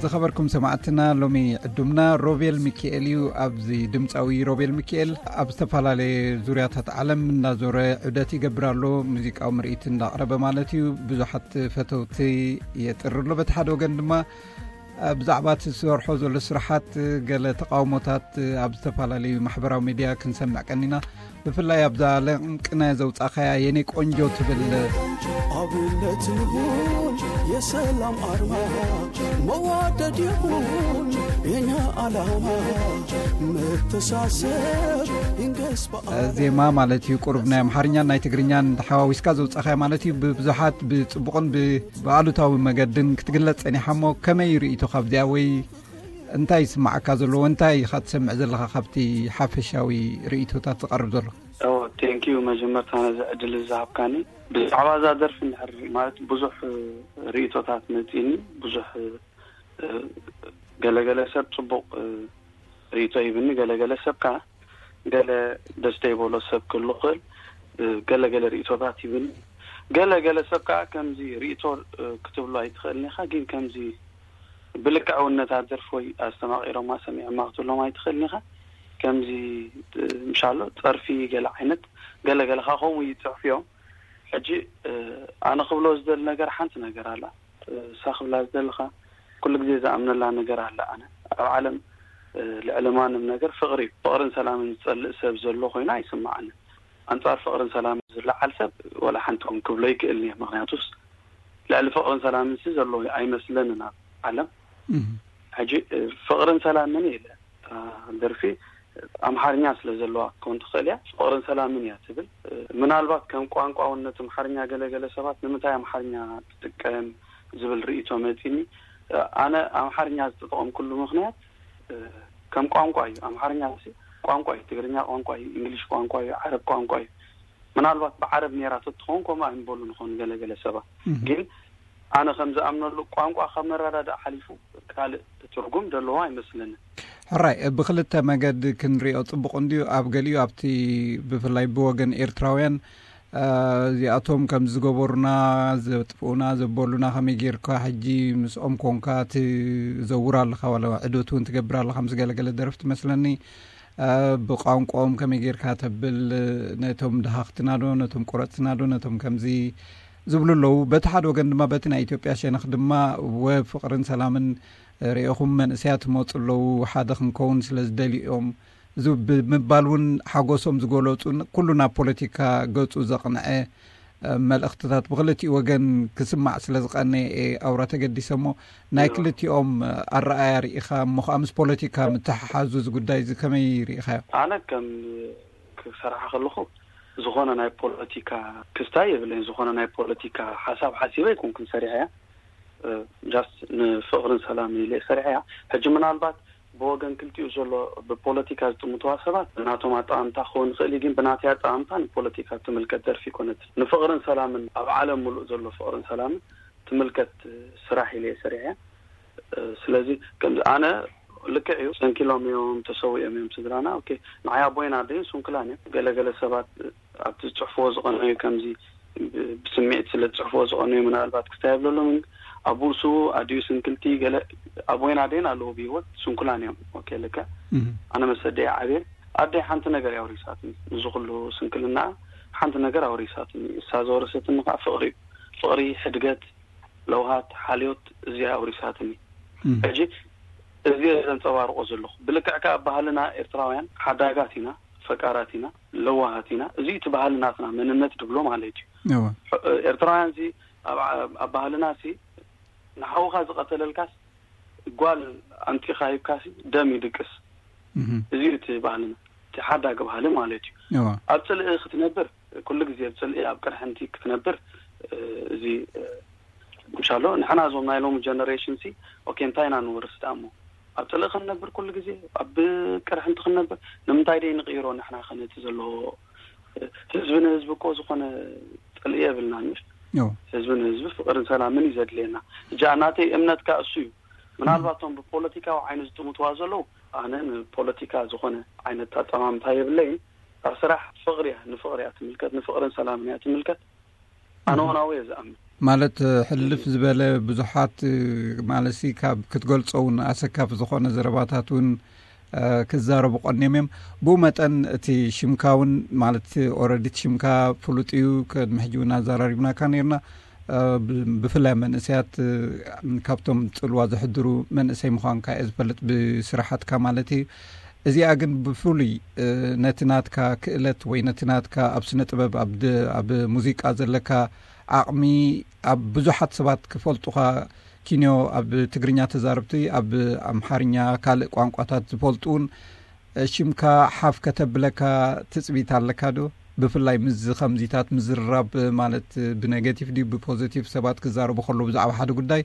ዝኸበርኩም ሰማዕትና፣ ሎሚ ዕዱምና ሮቤል ሚካኤል እዩ። ኣብዚ ድምፃዊ ሮቤል ሚካኤል ኣብ ዝተፈላለየ ዙርያታት ዓለም እናዞረ ዑደት ይገብር ኣሎ። ሙዚቃዊ ምርኢት እንዳቕረበ ማለት እዩ። ብዙሓት ፈተውቲ የጥሪ ኣሎ። በቲ ሓደ ወገን ድማ ብዛዕባ እቲ ዝሰርሖ ዘሎ ስራሓት ገለ ተቃውሞታት ኣብ ዝተፈላለዩ ማሕበራዊ ሚድያ ክንሰምዕ ቀኒና። ብፍላይ ኣብዛ ለንቅነ ዘውጻኻያ የኔ ቆንጆ ትብል ኣብነት ይሁን የሰላም ኣርማ መዋደድ ይሁን የኛ ዓላማ መተሳሰብ ይንገስ በዓል ዜማ ማለት እዩ። ቁሩብ ናይ ኣምሓርኛን ናይ ትግርኛን ተሓዋዊስካ ዘውጻኻያ ማለት እዩ። ብብዙሓት ብጽቡቕን ብ ብኣሉታዊ መገድን ክትግለጽ ጸኒሓ እሞ፣ ከመይ ርእይቶ ካብዚኣ ወይ እንታይ ይስምዓካ ዘለዎ? እንታይ ኢኻ ትሰምዕ ዘለኻ ካብቲ ሓፈሻዊ ርእይቶታት ዝቐርብ ዘሎ? ኦ፣ ቴንኪዩ መጀመርታ ነዚ ዕድል ዝሃብካኒ። ብዛዕባ እዛ ደርፊ እንድሕር ማለት ብዙሕ ርእይቶታት መጺኒ፣ ብዙሕ ገለገለ ሰብ ጽቡቕ ርእይቶ ሂብኒ፣ ገለገለ ሰብ ከኣ ገለ ደስ ዘይበሎ ሰብ ክህሉ ክእል፣ ገለገለ ርእይቶታት ሂብኒ። ገለገለ ሰብ ከኣ ከምዚ ርእይቶ ክትብሎ ኣይትኽእልን ኢኻ፣ ግን ከምዚ ብልክዕ እውን ነታ ደርፊ ወይ ኣስተማቒሮማ ሰሚዖማ ክትብሎም ኣይትኽእልን ኢኻ። ከምዚ ምሻሎ ጸርፊ ገለ ዓይነት ገለገለ ከኣ ከምኡ ይጽሕፉ እዮም። ሕጂ ኣነ ክብሎ ዝደሊ ነገር ሓንቲ ነገር ኣላ። እሳ ክብላ ዝደለኻ ኩሉ ግዜ ዝኣምነላ ነገር ኣለ። ኣነ ኣብ ዓለም ልዕሊ ማንም ነገር ፍቕሪ እዩ። ፍቕርን ሰላምን ዝጸልእ ሰብ ዘሎ ኮይኑ ኣይስምዓንን። ኣንጻር ፍቕርን ሰላምን ዝለዓል ሰብ ወላ ሓንቲ እውን ክብሎ ይክእልን እየ። ምኽንያቱስ ልዕሊ ፍቕርን ሰላምን ሲ ዘሎ ኣይመስለንን ኣብ ዓለም። ሕጂ ፍቕርን ሰላምን ኢለ ደርፊ ኣምሓርኛ ስለ ዘለዋ ክትከውን ትኽእል እያ። ፍቕርን ሰላምን እያ ትብል። ምናልባት ከም ቋንቋ እውን ነቲ ኣምሓርኛ ገለገለ ሰባት ንምንታይ ኣምሓርኛ ትጥቀም ዝብል ርእይቶ መጺኒ። ኣነ ኣምሓርኛ ዝተጠቐምኩሉ ምኽንያት ከም ቋንቋ እዩ። ኣምሓርኛ ሲ ቋንቋ እዩ፣ ትግርኛ ቋንቋ እዩ፣ እንግሊሽ ቋንቋ እዩ፣ ዓረብ ቋንቋ እዩ። ምናልባት ብዓረብ ነይራ ተትኸውን ከምኡ ኣይምበሉ ንኾኑ ገለገለ ሰባት። ግን ኣነ ከም ዝኣምነሉ ቋንቋ ካብ መረዳዳእ ሓሊፉ ካልእ ትርጉም ዘለዎ ኣይመስለንን። ሕራይ ብክልተ መገድ ክንሪኦ ጽቡቕ እንድዩ። ኣብ ገሊኡ ኣብቲ ብፍላይ ብወገን ኤርትራውያን እዚኣቶም ከም ዝገበሩና ዘጥፍኡና ዘበሉና ከመይ ጌርካ ሕጂ ምስኦም ኮንካ ትዘውር ኣለኻ ዋላ ዕዶት እውን ትገብር ኣለኻ ምስ ገለገለ ደረፍቲ መስለኒ። ብቋንቋኦም ከመይ ጌርካ ተብል ነቶም ድሃኽትና ዶ ነቶም ቁረፅትና ዶ ነቶም ከምዚ ዝብሉ ኣለዉ። በቲ ሓደ ወገን ድማ በቲ ናይ ኢትዮጵያ ሸነኽ ድማ ወ ፍቕርን ሰላምን ርኢኹም መንእሰያት ትመፁ ኣለዉ ሓደ ክንከውን ስለ ዝደልዩ እዮም እዚ ብምባል እውን ሓጎሶም ዝገለፁ ኩሉ ናብ ፖለቲካ ገፁ ዘቕንዐ መልእኽትታት ብክልቲኡ ወገን ክስማዕ ስለ ዝቐነየ እየ ኣውራ ተገዲሰ እሞ ናይ ክልቲኦም ኣረኣያ ርኢኻ እሞ ከዓ ምስ ፖለቲካ ምትሕሓዙ እዚ ጉዳይ እዚ ከመይ ርኢኻዮ? ኣነ ከም ክሰርሓ ከለኹ ዝኾነ ናይ ፖለቲካ ክስታይ የብለይን። ዝኾነ ናይ ፖለቲካ ሓሳብ ሓሲበ ኣይኮንኩን ሰሪሐያ። ጃስት ንፍቕርን ሰላምን ኢለ ሰሪሐያ። ሕጂ ምናልባት ብወገን ክልቲኡ ዘሎ ብፖለቲካ ዝጥምትዋ ሰባት ናቶም ኣጠማምታ ክኸውን ይኽእል እዩ፣ ግን ብናተይ ኣጠማምታ ንፖለቲካ ትምልከት ደርፊ ይኮነት። ንፍቕርን ሰላምን ኣብ ዓለም ሙሉእ ዘሎ ፍቕርን ሰላምን ትምልከት ስራሕ ኢለ እየ ሰሪሐያ። ስለዚ ከምዚ ኣነ ልክዕ እዩ፣ ሰንኪሎም እዮም፣ ተሰዊኦም እዮም ስድራና። ኦኬ፣ ንዓይ ኣቦይን ኣደይን ስንኩላን እዮም። ገለገለ ሰባት ኣብቲ ዝፅሕፍዎ ዝቐነዩ ከምዚ ብስምዒት ስለ ዝፅሕፍዎ ዝቐነዩ ምናልባት ክስታይ የብለሎምን። ኣቡኡ ስዉ ኣዲኡ ስንክልቲ ገለ ኣቦይን ኣደይን ኣለዉ ብሂወት ስንኩላን እዮም። ኦኬ ልክዕ ኣነ መሰደይ ዓብየ ኣደይ ሓንቲ ነገር እያ ኣውሪሳትኒ። ንዚ ኩሉ ስንክልና ሓንቲ ነገር ኣውሪሳትኒ። እሳ ዘወረሰትኒ ከዓ ፍቕሪ እዩ። ፍቕሪ፣ ሕድገት፣ ለውሃት፣ ሓልዮት እዚኣ ኣውሪሳትኒ። ሕጂ እዚ ዘንፀባርቆ ዘለኹ ብልክዕ ከዓ ባህልና ኤርትራውያን ሓዳጋት ኢና፣ ፈቃራት ኢና፣ ለዋሃት ኢና። እዚ እቲ ባህሊ ናትና መንነት ድብሎ ማለት እዩ። ኤርትራውያን ዚ ኣብ ባህልና ሲ ንሓውኻ ዝቐተለልካስ ጓል ኣምፂኻ ሂብካሲ ደም ይድቅስ። እዚ እቲ ባህልና እቲ ሓዳግ ባህሊ ማለት እዩ። ኣብ ፅልኢ ክትነብር ኩሉ ግዜ ኣብ ፅልኢ ኣብ ቅርሕንቲ ክትነብር እዚ ምሻሎ ንሕና እዞም ናይ ሎሚ ጀነሬሽን ሲ ኦኬ እንታይ ኢና ንወርስ ዳሞ ኣብ ፅልኢ ክንነብር ኩሉ ግዜ ኣብ ቅርሕንቲ ክንነብር ንምንታይ ደይ ንቅይሮ ንሕና ከነቲ ዘለዎ ህዝቢ ንህዝቢ እኮ ዝኾነ ፅልኢ የብልና ምሽ ህዝቢ ንህዝቢ ፍቅርን ሰላምን እዩ ዘድልየና። እጃ ናተይ እምነት ካ እሱ እዩ። ምናልባት እቶም ብፖለቲካዊ ዓይኑ ዝጥምትዋ ዘለዉ ኣነ ንፖለቲካ ዝኾነ ዓይነት ኣጠማምታ የብለይን። ኣብ ስራሕ ፍቅሪ እያ ንፍቅሪ እያ ትምልከት ንፍቅርን ሰላምን እያ ትምልከት። ኣነ እውን ኣብኡ እየ ዝኣምን። ማለት ሕልፍ ዝበለ ብዙሓት ማለትሲ ካብ ክትገልጾ እውን ኣሰካፊ ዝኾነ ዘረባታት እውን ክዛረቡ ቀንዮም እዮም። ብኡ መጠን እቲ ሽምካ እውን ማለት ኦረዲት ሽምካ ፍሉጥ እዩ። ቅድሚ ሕጂ እውን ኣዘራሪብናካ ነርና። ብፍላይ መንእሰያት ካብቶም ጽልዋ ዘሕድሩ መንእሰይ ምዃንካ እየ ዝፈልጥ ብስራሓትካ ማለት እዩ። እዚኣ ግን ብፍሉይ ነቲ ናትካ ክእለት ወይ ነቲ ናትካ ኣብ ስነ ጥበብ ኣብ ሙዚቃ ዘለካ ዓቕሚ ኣብ ብዙሓት ሰባት ክፈልጡኻ ኪንዮ ኣብ ትግርኛ ተዛረብቲ ኣብ ኣምሓርኛ ካልእ ቋንቋታት ዝፈልጡ እውን ሽምካ ሓፍ ከተብለካ ትጽቢት ኣለካ ዶ? ብፍላይ ምስ ከምዚታት ምዝርራብ ማለት ብነገቲቭ ድዩ ብፖዚቲቭ ሰባት ክዛረቡ ከለዉ ብዛዕባ ሓደ ጉዳይ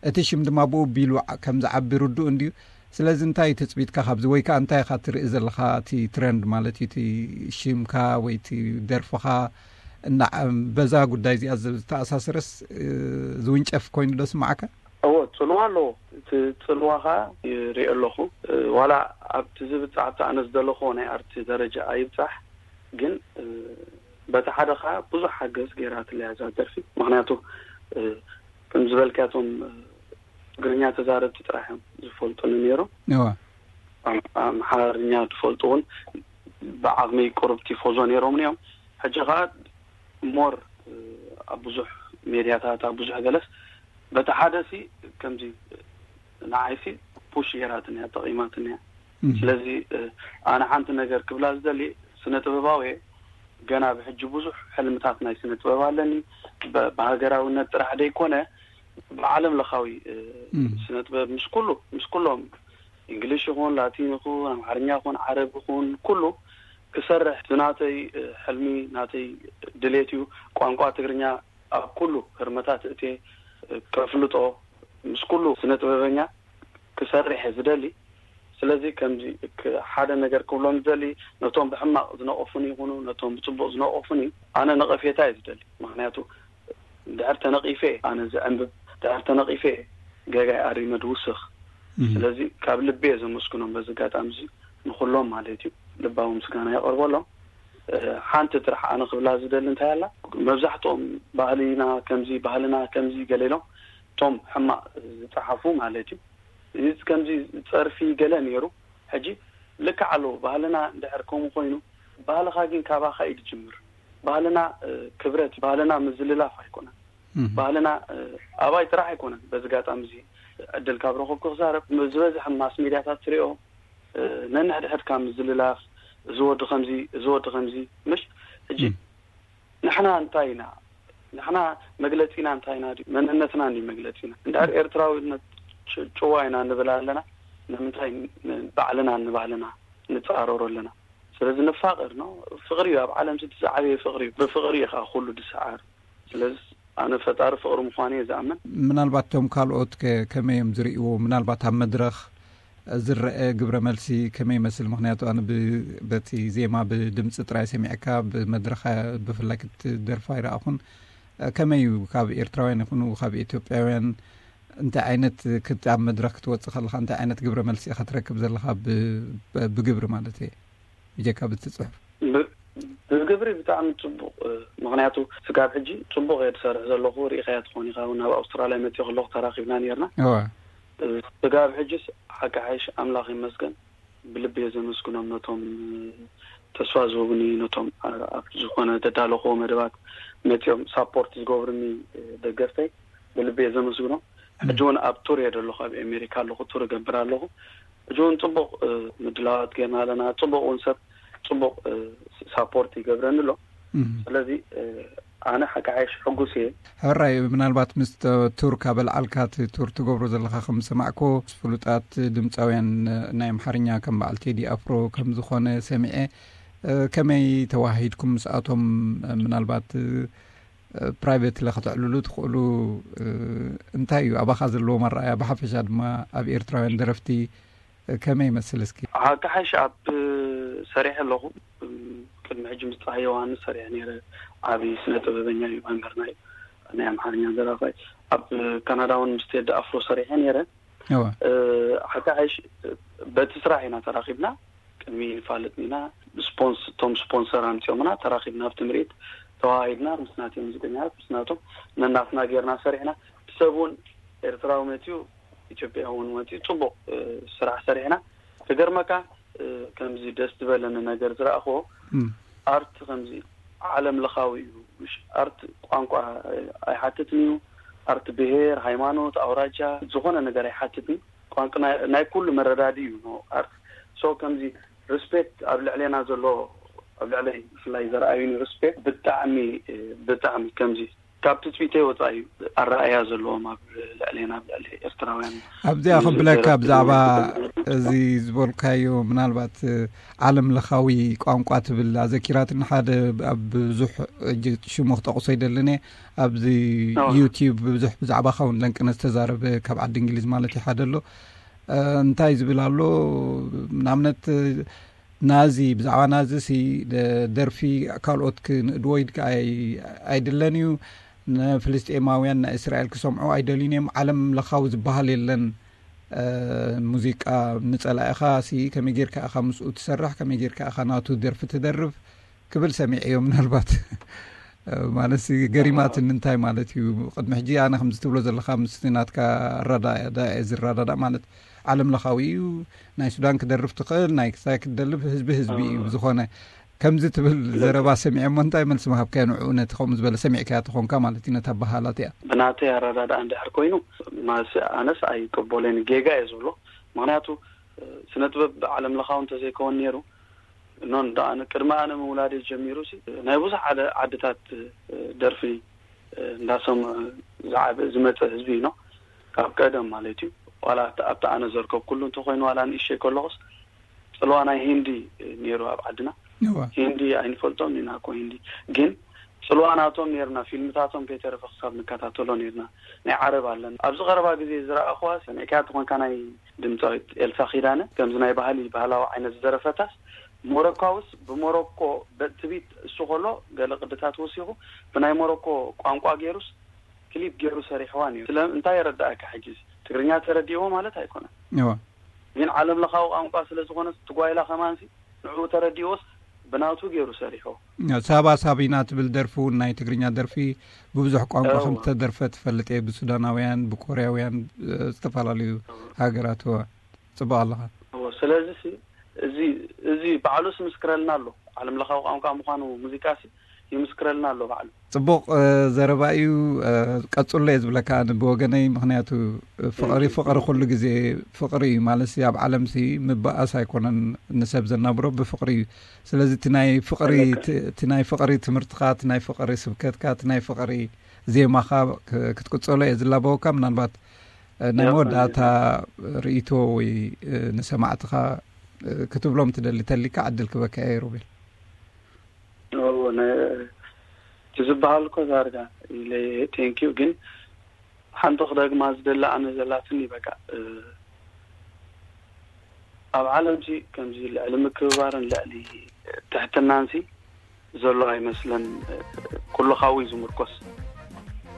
እቲ ሽም ድማ ብኡ ቢሉ ከም ዝዓቢ ርዱእ እንድዩ። ስለዚ እንታይ እዩ ትጽቢትካ ካብዚ ወይ ከዓ እንታይ ኢኻ ትርኢ ዘለኻ እቲ ትረንድ ማለት እዩ እቲ ሽምካ ወይ እቲ ደርፍኻ እና በዛ ጉዳይ እዚኣ ዝተኣሳሰረስ ዝውንጨፍ ኮይኑ ዶ ስማዓካ? እዎ ጽልዋ ኣለዎ። እቲ ጽልዋ ኸዓ ይርኢ ኣለኹ። ዋላ ኣብቲ ዝብጻሕ ኣብቲ ኣነ ዝደለኹዎ ናይ ኣርቲ ደረጃ ኣይብጻሕ ግን በቲ ሓደ ኸዓ ብዙሕ ሓገዝ ገይራትለያ እዛ ደርፊ። ምኽንያቱ ከም ዝበልካቶም ትግርኛ ተዛረብቲ ጥራሕ እዮም ዝፈልጡኒ ነይሮም። ኣምሓርኛ ዝፈልጡ እውን ብዓቕሚ ቁሩብ ቲፎዞ ነይሮም እዮም። ሕጂ ኸዓ ሞር ኣብ ብዙሕ ሜድያታት ኣብ ብዙሕ ገለስ በቲ ሓደ ሲ ከምዚ ንዓይሲ ፑሽ ገይራትንያ ጠቒማትንያ። ስለዚ ኣነ ሓንቲ ነገር ክብላ ዝደሊ ስነ ጥበባዊ ገና ብሕጂ ብዙሕ ሕልምታት ናይ ስነ ጥበብ ኣለኒ። ብሃገራዊነት ጥራሕ ደይኮነ ብዓለም ለኻዊ ስነ ጥበብ ምስ ኩሉ ምስ ኩሎም እንግሊሽ ይኹን ላቲን ይኹን ኣምሓርኛ ይኹን ዓረብ ይኹን ኩሉ ክሰርሕ ናተይ ሕልሚ ናተይ ድሌት እዩ። ቋንቋ ትግርኛ ኣብ ኩሉ ህርመታት እቴ ከፍልጦ ምስ ኩሉ ስነ ጥበበኛ ክሰርሕ እየ ዝደሊ። ስለዚ ከምዚ ሓደ ነገር ክብሎም ዝደሊ ነቶም ብሕማቕ ዝነቐፉን ይኹኑ ነቶም ብፅቡቕ ዝነቐፉን ኣነ ነቐፌታ እየ ዝደሊ። ምክንያቱ ድሕር ተነቒፈ ኣነ ዝዕንብብ ድሕር ተነቒፈ ገጋይ ኣሪመ ድውስኽ። ስለዚ ካብ ልቢ እየ ዘመስግኖም በዚ ኣጋጣሚ እዚ ንኩሎም ማለት እዩ። ልባዊ ምስጋና የቐርበሎም። ሓንቲ ጥራሕ ኣነ ክብላ ዝደሊ እንታይ ኣላ መብዛሕትኦም ባህልና ከምዚ ባህልና ከምዚ ገለ ኢሎም እቶም ሕማቕ ዝፀሓፉ ማለት እዩ። እዚ ከምዚ ፀርፊ ገለ ነይሩ። ሕጂ ልክዕ ኣለዎ ባህልና እንድሕር ከምኡ ኮይኑ ባህልኻ ግን ካባኻ እዩ ዝጅምር። ባህልና ክብረት ባህልና ምዝልላፍ ኣይኮነን። ባህልና ኣባይ ጥራሕ ኣይኮነን። በዚ ኣጋጣሚ እዚ ዕድል ካብ ረኸብኩ ክዛረብ ዝበዝሐ ማስ ሚድያታት ትሪኦ ነንሕድሕድካ ምዝልላፍ እዚ ወዲ ከምዚ እዚ ወዲ ከምዚ ምሽ ሕጂ ንሕና እንታይ ኢና ንሕና መግለፂና እንታይ ኢና ድዩ መንነትና እንዲ መግለፂና እንድሕር ኤርትራዊነት ጭዋ ኢና ንብል ኣለና። ንምንታይ ባዕልና ንባህልና ንፃረሮ ኣለና? ስለዚ ንፋቀር ነው። ፍቅሪ እዩ ኣብ ዓለም ዝዓበየ ፍቅሪ እዩ። ብፍቅሪ እዩ ከዓ ኩሉ ዝሰዓር። ስለዚ ኣነ ፈጣሪ ፍቅሪ ምዃኑ እየ ዝኣምን። ምናልባት እቶም ካልኦት ከመይ እዮም ዝርእይዎ? ምናልባት ኣብ መድረኽ ዝረአ ግብረ መልሲ ከመይ ይመስል? ምክንያቱ ኣነ በቲ ዜማ ብድምፂ ጥራይ ሰሚዕካ ብመድረኽ ብፍላይ ክትደርፋ ኣይረኣኹን። ከመይ እዩ ካብ ኤርትራውያን ይኹኑ ካብ ኢትዮጵያውያን እንታይ ዓይነት ክት ኣብ መድረኽ ክትወፅእ ከለኻ እንታይ ዓይነት ግብረ መልሲ ኢኻ ትረክብ ዘለኻ ብግብሪ ማለት እየ ብጀካ ብቲ ፅሑፍ? ብግብሪ ብጣዕሚ ፅቡቕ። ምክንያቱ ስጋብ ሕጂ ፅቡቕ እየ ዝሰርሕ ዘለኹ። ርኢኻያ ትኾን ኢኻ እውን ናብ ኣውስትራልያ መፅኦ ከለኹ ተራኺብና ነርና። ስጋብ ሕጂስ ሓቂ ሓይሽ ኣምላኽ ይመስገን ብልቢ እየ ዘመስግኖም ነቶም ተስፋ ዝህቡኒ ነቶም ኣብ ዝኾነ ዘዳለኹዎ መደባት መፂኦም ሳፖርት ዝገብሩኒ ደገፍተይ ብልቢ እየ ዘመስግኖም። ሕጂ እውን ኣብ ቱር እየ ዘለኹ ኣብ ኣሜሪካ ኣለኹ ቱር እገብር ኣለኹ። ሕጂ እውን ፅቡቕ ምድላዋት ገይርና ኣለና። ፅቡቕ እውን ሰብ ፅቡቕ ሳፖርት ይገብረኒ ኣሎ። ስለዚ ኣነ ሓቂ ሓይሽ ሕጉስ እየ። ሕራይ ምናልባት ምስ ቱር ካብ ኣልዓልካ እቲ ቱር ትገብሮ ዘለካ ከም ዝሰማዕኮ ፍሉጣት ድምፃውያን ናይ ኣምሓርኛ ከም በዓል ቴዲ ኣፍሮ ከም ዝኾነ ሰሚዐ። ከመይ ተዋሂድኩም ምስኣቶም? ምናልባት ፕራይቬት ለ ከተዕልሉ ትኽእሉ እንታይ እዩ ኣባኻ ዘለዎ ኣረኣያ ብሓፈሻ ድማ ኣብ ኤርትራውያን ደረፍቲ ከመይ ይመስል እስኪ? ሓቂ ሓይሽ ኣብ ሰሪሐ ኣለኹ። ቅድሚ ሕጂ ምስ ፀሃይ ዮሃንስ ሰሪሐ ነይረ። ዓብዪ ስነ ጥበበኛ እዩ መምህርና እዩ። ናይ ኣምሓርኛ ደራፋይ ኣብ ካናዳ እውን ምስ ቴዲ ኣፍሮ ሰሪሐ ነይረ። ሓቂ ሓይሽ በቲ ስራሕ ኢና ተራኺብና። ቅድሚ ንፋለጥ ኢና ስፖንስ እቶም ስፖንሰር ኣምፂኦምና ተራኺብና ኣብቲ ምርኢት ተዋሂድና ምስ ናተይ ሙዚቀኛታት ምስ ናቶም ነናትና ጌርና ሰሪሕና። ሰብ እውን ኤርትራዊ መፅዩ፣ ኢትዮጵያ እውን መፅዩ፣ ፅቡቕ ስራሕ ሰሪሕና። ክገርመካ ከምዚ ደስ ዝበለኒ ነገር ዝረእኽዎ፣ ኣርት ከምዚ ዓለም ለኻዊ እዩ። ኣርት ቋንቋ ኣይሓትትን እዩ። ኣርት ብሄር፣ ሃይማኖት፣ ኣውራጃ፣ ዝኾነ ነገር ኣይሓትትን። ቋንቋ ናይ ኩሉ መረዳዲ እዩ ኣርት። ሶ ከምዚ ሪስፔክት ኣብ ልዕሌና ዘሎ፣ ኣብ ልዕለይ ብፍላይ ዘረኣዩኒ ሪስፔክት ብጣዕሚ ብጣዕሚ ከምዚ ካብ ትፅቢተይ ወፃኢ እዩ ኣረኣያ ዘለዎም ኣብ ልዕሌና፣ ኣብ ልዕሊ ኤርትራውያን። ኣብዚኣ ክብለካ ብዛዕባ እዚ ዝበልካዮ፣ ምናልባት ዓለም ለኻዊ ቋንቋ ትብል ኣዘኪራትኒ። ሓደ ኣብ ብዙሕ ሽሙ ክጠቕሶ ይደልን እየ። ኣብዚ ዩቲዩብ ብዙሕ ብዛዕባኻ እውን ለንቅነ ዝተዛረበ፣ ካብ ዓዲ እንግሊዝ ማለት እዩ፣ ሓደ ኣሎ። እንታይ ዝብል ኣሎ፣ ንኣብነት ናዚ፣ ብዛዕባ ናዚ ሲ ደርፊ ካልኦት ክንእድዎ ኣይድለን እዩ። ንፍልስጤማውያን ናይ እስራኤል ክሰምዑ ኣይደልዩን እዮም። ዓለም ለኻዊ ዝበሃል የለን። ሙዚቃ ንጸላኢኻ ሲ ከመይ ጌርካ ኢኻ ምስኡ ትሰርሕ፣ ከመይ ጌርካ ኢኻ ናቱ ደርፊ ትደርፍ ክብል ሰሚዐዮ። ምናልባት ማለት ገሪማትኒ፣ እንታይ ማለት እዩ? ቅድሚ ሕጂ ኣነ ከምዚ ትብሎ ዘለኻ ምስቲ ናትካ ኣረዳዳ እየ ዝረዳዳእ። ማለት ዓለም ለኻዊ እዩ። ናይ ሱዳን ክደርፍ ትኽእል፣ ናይ ክሳይ ክትደልፍ፣ ህዝቢ ህዝቢ እዩ። ብዝኾነ ከምዚ ትብል ዘረባ ሰሚዐ እሞ እንታይ መልሲ ምሃብካዮ ንዕኡ? ነቲ ከምኡ ዝበለ ሰሚዕካያ ተኾንካ ማለት እዩ፣ ነታ በሃላት እያ። ብናተይ ኣረዳድኣ እንድሕር ኮይኑ ማለትሲ ኣነስ ኣይቅበሎን፣ ጌጋ እየ ዝብሎ። ምኽንያቱ ስነ ጥበብ ዓለም ለኻዊ እንተዘይከውን ነይሩ፣ ኖን ደኣ ቅድሚ ኣነ ምውላደይ ጀሚሩ ሲ ናይ ብዙሕ ዓደ ዓድታት ደርፊ እንዳሰምዑ ዝዓበ ዝመፀ ህዝቢ እዩ። ካብ ቀደም ማለት እዩ። ዋላ ኣብቲ ኣነ ዘርከብኩሉ እንተኮይኑ፣ ዋላ ንእሸይ ከለኹስ ፅልዋ ናይ ሂንዲ ነይሩ ኣብ ዓድና። ሂንዲ ኣይንፈልጦም ኢና እኮ። ሂንዲ ግን ፅልዋ ናቶም ነርና፣ ፊልምታቶም ከይተረፈ ክሳብ ንከታተሎ ነርና። ናይ ዓረብ ኣለን። ኣብዚ ቀረባ ግዜ ዝረኣኽዋ ሰሚዕካያ ተኾንካ፣ ናይ ድምፃዊት ኤልሳ ኪዳነ፣ ከምዚ ናይ ባህሊ ባህላዊ ዓይነት ዝደረፈታስ፣ ሞሮካውስ ብሞሮኮ በትቢት እሱ ከሎ ገለ ቅድታት ወሲኹ ብናይ ሞሮኮ ቋንቋ ገይሩስ ክሊፕ ገይሩ ሰሪሕዋ ነይሩ። ስለ እንታይ የረዳእካ? ሕጂ ትግርኛ ተረዲእዎ ማለት ኣይኮነን። ግን ዓለም ለኻዊ ቋንቋ ስለ ዝኾነ ትጓይላ ከማንሲ ንዕኡ ተረዲእዎስ ብናቱ ገይሩ ሰሪሖ። ሳባ ሳቢና ትብል ደርፊ እውን ናይ ትግርኛ ደርፊ ብብዙሕ ቋንቋ ከም ዝተደርፈ ትፈልጥ እየ። ብሱዳናውያን፣ ብኮርያውያን፣ ዝተፈላለዩ ሃገራት። እወ፣ ጽቡቕ ኣለኻ። እወ፣ ስለዚ ሲ እዚ፣ እዚ ባዕሉስ ምስክረልና ኣሎ። ዓለም ለኻዊ ቋንቋ ምዃኑ ሙዚቃ ሲ ይምስክረልና ኣሎ ባዕሉ። ጽቡቕ ዘረባ እዩ። ቀጽሎ እየ ዝብለካ ኣነ ብወገነይ፣ ምኽንያቱ ፍቕሪ፣ ፍቕሪ ኩሉ ግዜ ፍቕሪ እዩ። ማለት ሲ ኣብ ዓለም ሲ ምባኣስ ኣይኮነን ንሰብ ዘናብሮ፣ ብፍቕሪ እዩ። ስለዚ እቲ ናይ ፍቕሪ፣ እቲ ናይ ፍቕሪ ትምህርትኻ፣ እቲ ናይ ፍቕሪ ስብከትካ፣ እቲ ናይ ፍቕሪ ዜማኻ ክትቅጽሎ እየ ዝላበወካ። ምናልባት ናይ መወዳእታ ርእይቶ ወይ ንሰማዕትኻ ክትብሎም ትደሊ ተሊካ ዕድል ክበካ እየ ሮቤል። እቲ ዝበሃል እኮ ዳርጋ ኢለ፣ ቴንኪዩ። ግን ሓንቲ ክደግማ ዝደሊ ኣነ ዘላትኒ በቃ፣ ኣብ ዓለም ሲ ከምዚ ልዕሊ ምክብባርን ልዕሊ ትሕትናን ሲ ዘሎ ኣይመስለን። ኩሉ ካብኡ እዩ ዝምርኮስ።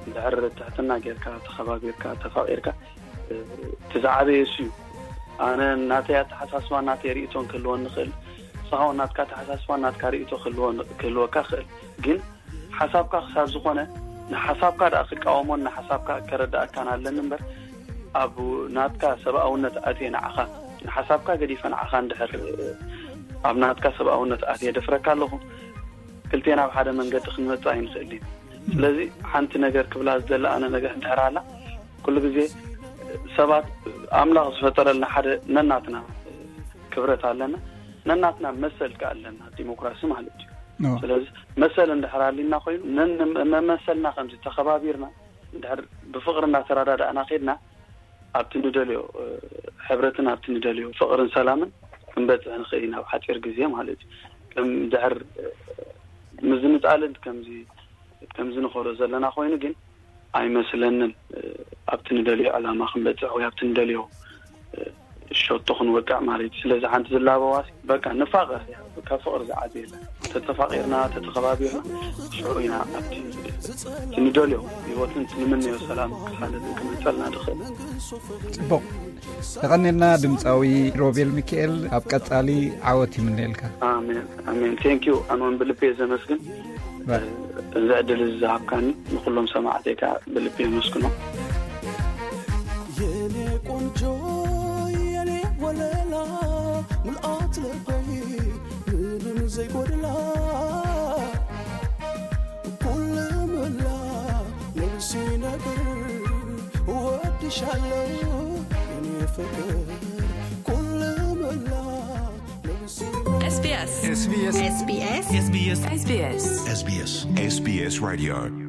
እንድሕር ትሕትና ጌርካ፣ ተኸባቢርካ፣ ተፋቒርካ፣ እቲ ዝዓበየ እሱ እዩ። ኣነ ናተይ ኣተሓሳስባ፣ ናተይ ርእይቶን ክህልወኒ ይኽእል። ንስኻ እውን ናትካ ኣተሓሳስባን ናትካ ርእይቶ ክህልወካ ይኽእል። ግን ሓሳብካ ክሳብ ዝኾነ ንሓሳብካ ደኣ ክቃወሞን ንሓሳብካ ከረዳእካን ኣለኒ እምበር፣ ኣብ ናትካ ሰብኣውነት ኣትየ ንዓኻ፣ ንሓሳብካ ገዲፈ ንዓኻ እንድሕር ኣብ ናትካ ሰብኣውነት ኣትየ ደፍረካ ኣለኹ፣ ክልቴና ኣብ ሓደ መንገዲ ክንመጽእ ኣይንኽእል ኢና። ስለዚ ሓንቲ ነገር ክብላ ዝደሊ ኣነ ነገር እንድሕር ኣላ፣ ኩሉ ግዜ ሰባት ኣምላኽ ዝፈጠረልና ሓደ ነናትና ክብረት ኣለና፣ ነናትና መሰል ከኣ ኣለና፣ ዲሞክራሲ ማለት እዩ። ስለዚ መሰል እንድሕር ኣሊና ኮይኑ ነን-፣ መመሰልና ከምዚ ተኸባቢርና እንድሕር ብፍቕሪ እናተረዳዳእና ኬድና ኣብቲ ንደልዮ ሕብረትን ኣብቲ ንደልዮ ፍቕርን ሰላምን ክንበጽሕ ንኽእል ኢና ኣብ ሓጺር ግዜ ማለት እዩ። ከም ድሕር ምዝንጣልን ከምዚ፣ ከምዚ ንኸዶ ዘለና ኮይኑ ግን ኣይመስለንን ኣብቲ ንደልዮ ዕላማ ክንበጽሕ ወይ ኣብቲ ንደልዮ ሸቶ ክንወቅዕ ማለት እዩ። ስለዚ ሓንቲ ዝላበዋስ በቃ ንፋቐር እያ። ካብ ፍቕሪ ዝዓቢ የለን። ተተፋቒርና፣ ተተኸባቢርና ሽዑ ኢና ኣብቲ ንደልዮ ህይወትን እቲ ንምነዮ ሰላም ክሓልፍ ክመጸልና ድኽእል። ጽቡቕ። ተቐኒልና ድምፃዊ ሮቤል ሚካኤል፣ ኣብ ቀጻሊ ዓወት ይምነየልካ። ኣሜን፣ ኣሜን። ቴንክ ዩ። ኣነ እውን ብልቤ ዘመስግን። ባይ። እዚ ዕድል እዚ ዝሃብካኒ ንኩሎም ሰማዕተይ ከኣ ብልቢ የመስግኖ። የኔ ቆንጆ፣ የኔ ወለላ፣ ምልኣት ልበይ ምንም ዘይጎድላ፣ ኩሉ መላ ነብሲ ነብር እወድሻለሁ የኔ ፍቅር፣ ኩሉ መላ ነብሲ SBS SBS SBS SBS SBS SBS SBS Radio